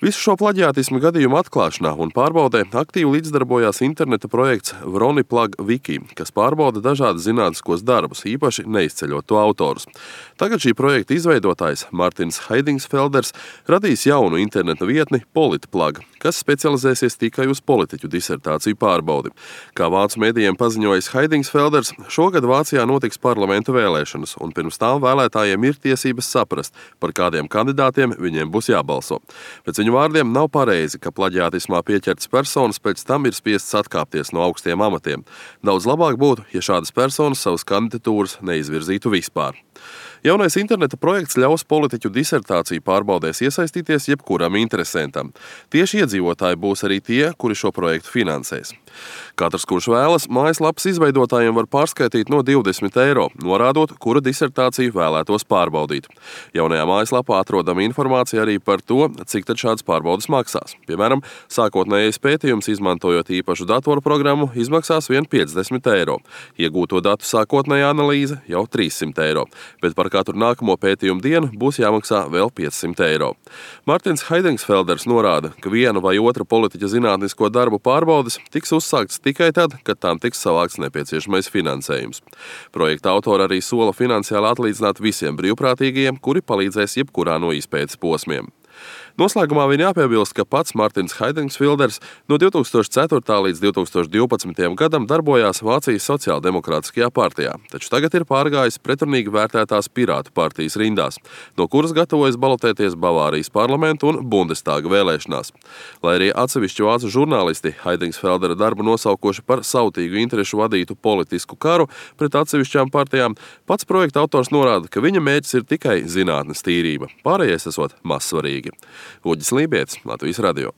Visu šo plaģiātismu gadījumu atklāšanā un pārbaudē aktīvi līdzdarbojās interneta projekts Vroniplug Wiki, kas pārbauda dažādas zinātniskos darbus, īpaši neizceļot to autorus. Tagad šī projekta izveidotājs Martins Heidingsfelders radīs jaunu interneta vietni Politplug, kas specializēsies tikai uz politiķu disertāciju pārbaudi. Kā vācu medijiem paziņojis Heidingsfelders, šogad Vācijā notiks parlamenta vēlēšanas, un pirms tām vēlētājiem ir tiesības saprast, par kādiem kandidātiem viņiem būs jābalso. Pēc viņu vārdiem nav pareizi, ka plaģiātismā pieķertas personas pēc tam ir spiestas atkāpties no augstiem amatiem. Daudz labāk būtu, ja šādas personas savas kandidatūras neizvirzītu vispār. Jaunais interneta projekts ļaus politiķu disertāciju pārbaudēs iesaistīties jebkuram interesentam. Tieši iedzīvotāji būs arī tie, kuri šo projektu finansēs. Katrs, kurš vēlas, mājaslapas izveidotājiem var pārskaitīt no 20 eiro, norādot, kura disertāciju vēlētos pārbaudīt. Jaunajā mājaslapā atrodama informācija arī par to, cik tad šāds pārbaudas maksās. Piemēram, sākotnējais pētījums, izmantojot īpašu datoru programmu, izmaksās vien 50 eiro. Iegūto datu sākotnējā analīze jau 300 eiro, bet par katru nākamo pētījumu dienu būs jāmaksā vēl 500 eiro. Martins Heidingsfelders norāda, ka viena vai otra politiķa zinātnisko darbu pārbaudes tiks uzsāktas tikai tad, kad tām tiks savākts nepieciešamais finansējums. Projekta autori arī sola finansiāli atlīdzināt visiem brīvprātīgajiem, kuri palīdzēs jebkurā no izpētes posmiem. Noslēgumā vien jāpiebilst, ka pats Martins Heidingsfelders no 2004. līdz 2012. gadam darbojās Vācijas sociāldemokrātiskajā partijā, taču tagad ir pārgājis pretrunīgi vērtētās Pirātu partijas rindās, no kuras gatavojas balotēties Bavārijas parlamentu un Bundestāga vēlēšanās. Lai arī atsevišķi vācu žurnālisti Heidingsfeldera darbu nosaukoši par sautīgu interešu vadītu politisku karu pret atsevišķām partijām, pats projekta autors norāda, ka viņa mērķis ir tikai zinātnes tīrība, pārējais esot mazsvarīgi. Uģis Lībietis, Latvijas radio.